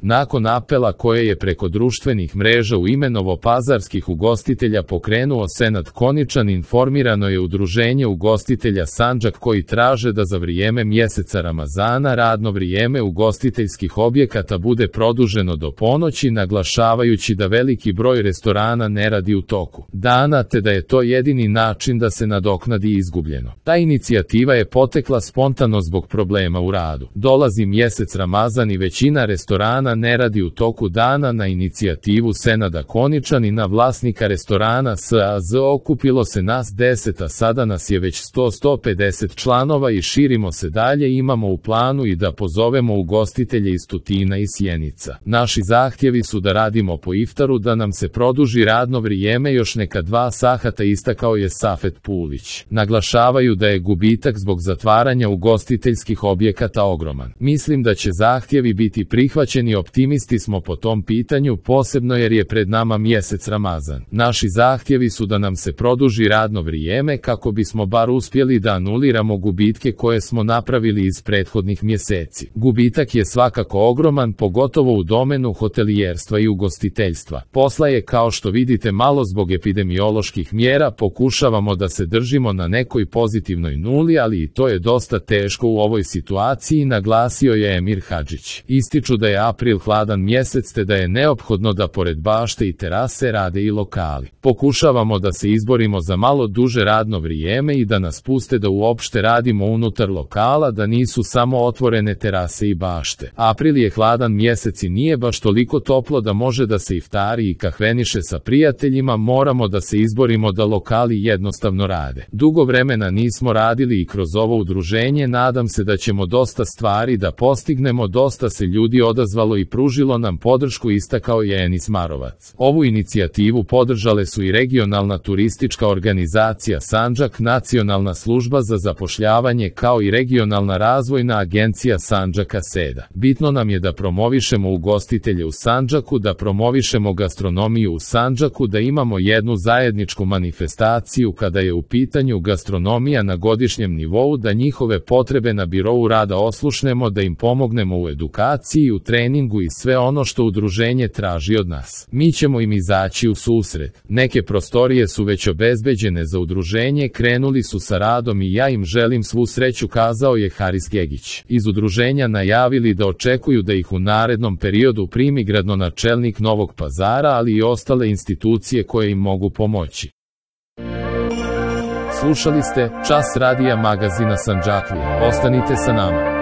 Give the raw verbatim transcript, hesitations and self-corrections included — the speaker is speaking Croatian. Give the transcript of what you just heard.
Nakon apela koje je preko društvenih mreža u ime novopazarskih ugostitelja pokrenuo Senad Koničan, informirano je Udruženje ugostitelja Sandžak koji traže da za vrijeme mjeseca Ramazana radno vrijeme ugostiteljskih objekata bude produženo do ponoći, naglašavajući da veliki broj restorana ne radi u toku dana te da je to jedini način da se nadoknadi izgubljeno. Ta inicijativa je potekla spontano zbog problema u radu. Dolazi mjesec Ramazan i većina restorana ne radi u toku dana. Na inicijativu Senada Koničanina, vlasnika restorana S A Z, okupilo se nas deset, a sada nas je već sto do sto pedeset članova i širimo se dalje. Imamo u planu i da pozovemo ugostitelje iz Tutina i Sjenica. Naši zahtjevi su da radimo po iftaru, da nam se produži radno vrijeme još neka dva sahata, istakao je Safet Pulić. Naglašavaju da je gubitak zbog zatvaranja ugostiteljskih objekata ogroman. Mislim da će zahtjevi biti prihvaćeni, optimisti smo po tom pitanju, posebno jer je pred nama mjesec Ramazan. Naši zahtjevi su da nam se produži radno vrijeme kako bismo bar uspjeli da anuliramo gubitke koje smo napravili iz prethodnih mjeseci. Gubitak je svakako ogroman, pogotovo u domenu hotelijerstva i ugostiteljstva. Posla je, kao što vidite, malo zbog epidemioloških mjera. Pokušavamo da se držimo na nekoj pozitivnoj nuli, ali i to je dosta teško u ovoj situaciji, naglasio je Emir Hadžić. Ističu da je april hladan mjesec te da je neophodno da pored bašte i terase rade i lokali. Pokušavamo da se izborimo za malo duže radno vrijeme i da nas puste da uopšte radimo unutar lokala, da nisu samo otvorene terase i bašte. April je hladan mjesec i nije baš toliko toplo da može da se iftari i kahveniše sa prijateljima. Moramo da se izborimo da lokali jednostavno rade. Dugo vremena nismo radili i kroz ovo udruženje nadam se da ćemo dosta stvari da postignemo. Dosta se ljudi odazvalo i pružilo nam podršku, istakao je Enis Marovac. Ovu inicijativu podržale su i regionalna turistička organizacija Sandžak, Nacionalna služba za zapošljavanje kao i regionalna razvojna agencija Sandžaka Seda. Bitno nam je da promovišemo ugostitelje u Sandžaku, da promovišemo gastronomiju u Sandžaku, da imamo jednu zajedničku manifestaciju kada je u pitanju gastronomija na godišnjem nivou, da njihove potrebe na birou rada oslušnemo, da im pomognemo u edukaciji, u treningu i sve ono što udruženje traži od nas. Mi ćemo im izaći u susret. Neke prostorije su već obezbeđene za udruženje, krenuli su sa radom i ja im želim svu sreću, kazao je Haris Gegić. Iz udruženja najavili da očekuju da ih u narednom periodu primi gradonačelnik Novog Pazara, ali i ostale institucije koje im mogu pomoći. Slušali ste Čas radija magazina Sandžaklija. Ostanite sa nama.